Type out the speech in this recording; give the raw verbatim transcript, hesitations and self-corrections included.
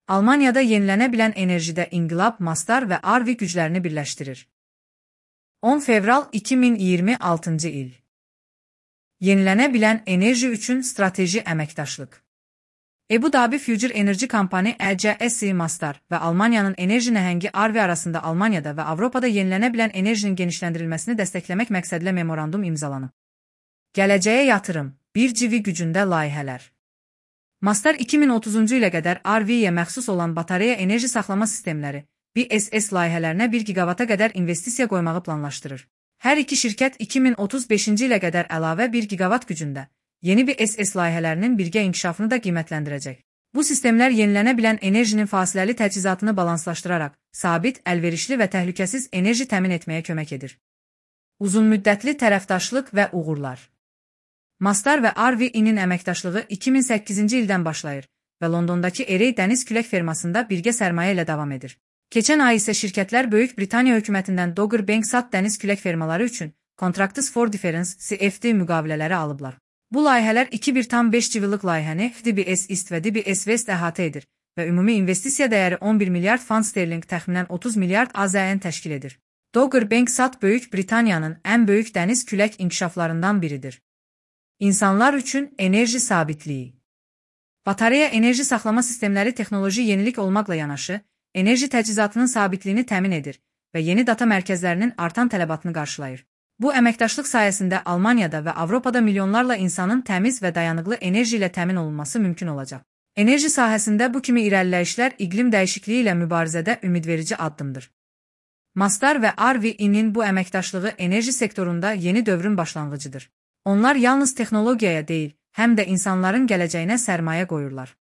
Almaniyada yenilənə bilən enerjidə İnqilab, Mastar və Arvi güclərini birləşdirir. on fevral iki min iyirmi altıncı il. Yenilənə bilən enerji üçün strateji əməkdaşlıq. Ebu Dabi Future Energy Company E C S Mastar və Almaniyanın enerji nəhəngi Arvi arasında Almaniyada və Avropada yenilənə bilən enerjinin genişləndirilməsini dəstəkləmək məqsədilə memorandum imzalanıb. Gələcəyə yatırım, bir civi gücündə layihələr. Mastar iki min otuzuncu ilə qədər Arviyə məxsus olan batareya enerji saxlama sistemləri, B S S layihələrinə bir gigavata qədər investisiya qoymağı planlaşdırır. Hər iki şirkət iki min otuz beşinci ilə qədər əlavə bir gigavat gücündə yeni B S S layihələrinin birgə inkişafını da qiymətləndirəcək. Bu sistemlər yenilənə bilən enerjinin fasiləli təchizatını balanslaşdıraraq, sabit, əlverişli və təhlükəsiz enerji təmin etməyə kömək edir. Uzunmüddətli tərəfdaşlıq və uğurlar. Mastar və Arvi-nin əməkdaşlığı iki min səkkizinci ildən başlayır və Londondakı Erey dəniz külək fermasında birgə sərmayə ilə davam edir. Keçən ay isə şirkətlər Böyük Britaniya hökumətindən Dogger Bank Sat dəniz külək fermaları üçün Contracts for Difference C F D müqavilələri alıblar. Bu layihələr iki bir tam beş civillik layihəni D B S East və D B S West əhatə edir və ümumi investisiya dəyəri on bir milyard fund sterling təxminən otuz milyard A Z N təşkil edir. Dogger Bank Sat Böyük Britaniyanın ən böyük dəniz külək inkişaflarından biridir. İnsanlar üçün enerji sabitliyi. Batareya enerji saxlama sistemləri texnoloji yenilik olmaqla yanaşı, enerji təchizatının sabitliyini təmin edir və yeni data mərkəzlərinin artan tələbatını qarşılayır. Bu əməkdaşlıq sayəsində Almaniyada və Avropada milyonlarla insanın təmiz və dayanıqlı enerji ilə təmin olunması mümkün olacaq. Enerji sahəsində bu kimi irəliləyişlər iqlim dəyişikliyi ilə mübarizədə ümidverici addımdır. Mastar və Arvi-nin bu əməkdaşlığı enerji sektorunda yeni dövrün başlanğıcıdır. Onlar yalnız texnologiyaya deyil, həm də insanların gələcəyinə sərmayə qoyurlar.